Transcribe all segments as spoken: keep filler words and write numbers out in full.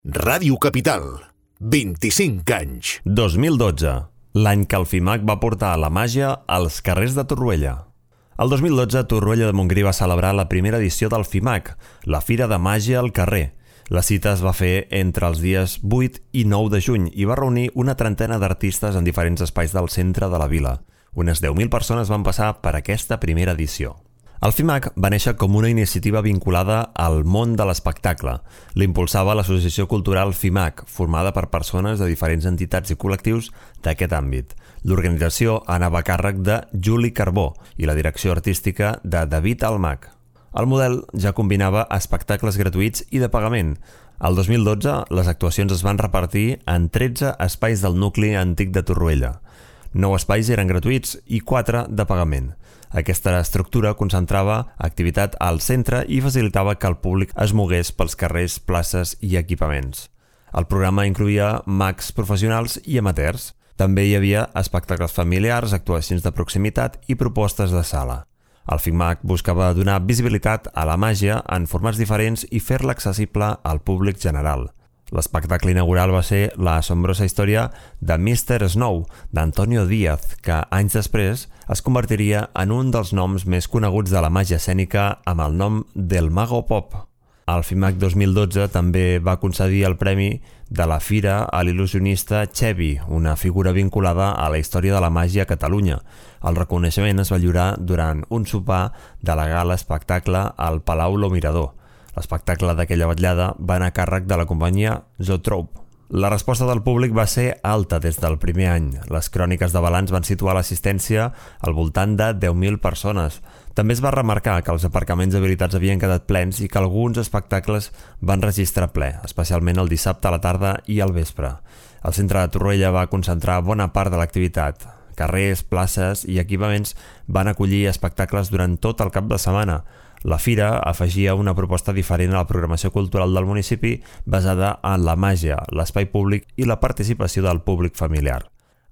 Ràdio Capital, vint-i-cinc anys. dos mil dotze, l'any que el FIMAC va portar la màgia als carrers de Torroella. El dos mil dotze, Torroella de Montgrí va celebrar la primera edició del FIMAC, la Fira de Màgia al Carrer. La cita es va fer entre els dies vuit i nou de juny i va reunir una trentena d'artistes en diferents espais del centre de la vila. Unes deu mil persones van passar per aquesta primera edició. El FIMAC va néixer com una iniciativa vinculada al món de l'espectacle. L'impulsava l'Associació Cultural FIMAC, formada per persones de diferents entitats i col·lectius d'aquest àmbit. L'organització anava a càrrec de Juli Carbó i la direcció artística de David Almach. El model ja combinava espectacles gratuïts i de pagament. El dos mil dotze, les actuacions es van repartir en tretze espais del nucli antic de Torroella. nou espais eren gratuïts i quatre de pagament. Aquesta estructura concentrava activitat al centre i facilitava que el públic es mogués pels carrers, places i equipaments. El programa incloïa mags professionals i amateurs. També hi havia espectacles familiars, actuacions de proximitat i propostes de sala. El FIMAC buscava donar visibilitat a la màgia en formats diferents i fer-la accessible al públic general. L'espectacle inaugural va ser la assombrosa història de mister Snow, d'Antonio Díaz, que anys després es convertiria en un dels noms més coneguts de la màgia escènica amb el nom del Mago Pop. El FIMAC dos mil dotze també va concedir el premi de la Fira a l'il·lusionista Chevy, una figura vinculada a la història de la màgia a Catalunya. El reconeixement es va lliurar durant un sopar de la gala espectacle al Palau Lo Mirador. L'espectacle d'aquella vetllada va anar a càrrec de la companyia Zoetrope. La resposta del públic va ser alta des del primer any. Les cròniques de balanç van situar l'assistència al voltant de deu mil persones. També es va remarcar que els aparcaments habilitats havien quedat plens i que alguns espectacles van registrar ple, especialment el dissabte a la tarda i al vespre. El centre de Torroella va concentrar bona part de l'activitat. Carrers, places i equipaments van acollir espectacles durant tot el cap de setmana. La fira afegia una proposta diferent a la programació cultural del municipi basada en la màgia, l'espai públic i la participació del públic familiar.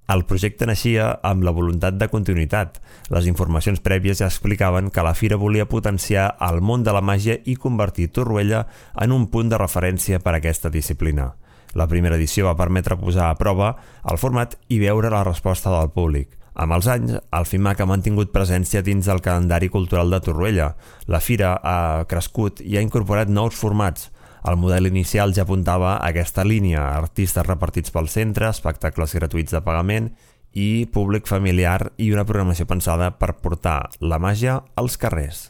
El projecte naixia amb la voluntat de continuïtat. Les informacions prèvies ja explicaven que la fira volia potenciar el món de la màgia i convertir Torroella en un punt de referència per a aquesta disciplina. La primera edició va permetre posar a prova el format i veure la resposta del públic. Amb els anys, el FIMAC ha mantingut presència dins del calendari cultural de Torroella. La fira ha crescut i ha incorporat nous formats. El model inicial ja apuntava a aquesta línia, artistes repartits pel centre, espectacles gratuïts de pagament i públic familiar i una programació pensada per portar la màgia als carrers.